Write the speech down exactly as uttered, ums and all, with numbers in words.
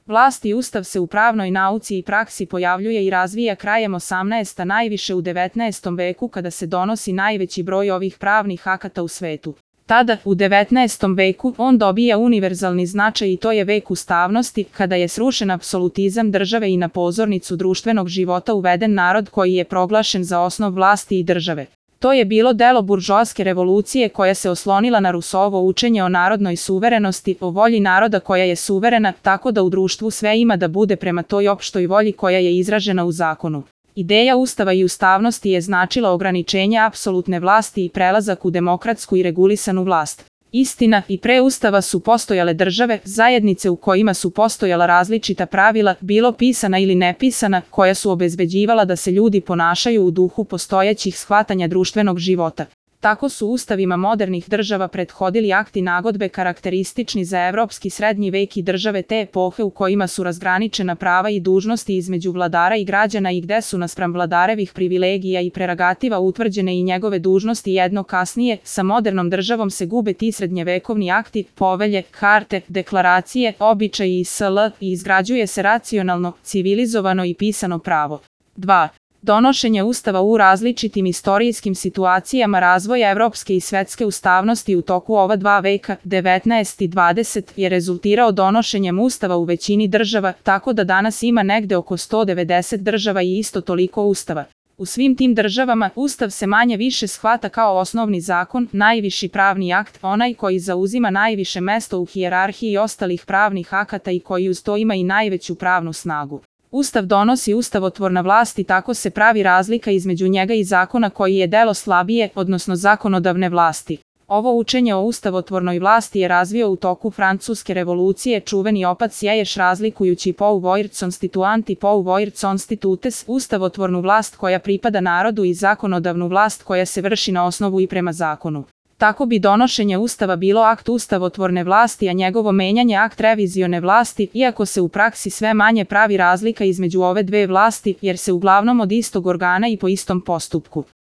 Vlast i ustav se u pravnoj nauci i praksi pojavljuje i razvija krajem osamnaestog, najviše u devetnaestom veku kada se donosi najveći broj ovih pravnih akata u svetu. Tada, u devetnaestom veku, on dobija univerzalni značaj i to je vek ustavnosti, kada je srušen apsolutizam države i na pozornicu društvenog života uveden narod koji je proglašen za osnov vlasti i države. To je bilo delo buržoaske revolucije koja se oslonila na Rusovo učenje o narodnoj suverenosti, o volji naroda koja je suverena, tako da u društvu sve ima da bude prema toj opštoj volji koja je izražena u zakonu. Ideja ustava i ustavnosti je značila ograničenje apsolutne vlasti i prelazak u demokratsku i regulisanu vlast. Istina, i pre ustava su postojale države, zajednice u kojima su postojala različita pravila, bilo pisana ili nepisana, koja su obezbeđivala da se ljudi ponašaju u duhu postojećih shvatanja društvenog života. Tako su ustavima modernih država prethodili akti nagodbe karakteristični za evropski srednji vek i države te epohe u kojima su razgraničena prava i dužnosti između vladara i građana i gde su naspram vladarevih privilegija i preragativa utvrđene i njegove dužnosti. Jedno kasnije, sa modernom državom se gube ti srednjevekovni akti, povelje, karte, deklaracije, običaji i sl. I izgrađuje se racionalno, civilizovano i pisano pravo. dva. Donošenje ustava u različitim istorijskim situacijama razvoja evropske i svetske ustavnosti u toku ova dva veka, devetnaesti i dvadeseti, je rezultirao donošenjem ustava u većini država, tako da danas ima negde oko sto devedeset država i isto toliko ustava. U svim tim državama, ustav se manje više shvata kao osnovni zakon, najviši pravni akt, onaj koji zauzima najviše mesto u hijerarhiji ostalih pravnih akata i koji uz to ima i najveću pravnu snagu. Ustav donosi ustavotvorna vlast i tako se pravi razlika između njega i zakona koji je delo slabije, odnosno zakonodavne vlasti. Ovo učenje o ustavotvornoj vlasti je razvio u toku Francuske revolucije čuveni otac Sieyès razlikujući pouvoir constituant i pouvoir constitutes, ustavotvornu vlast koja pripada narodu i zakonodavnu vlast koja se vrši na osnovu i prema zakonu. Tako bi donošenje ustava bilo akt ustavotvorne vlasti, a njegovo menjanje akt revizione vlasti, iako se u praksi sve manje pravi razlika između ove dve vlasti, jer se uglavnom od istog organa i po istom postupku.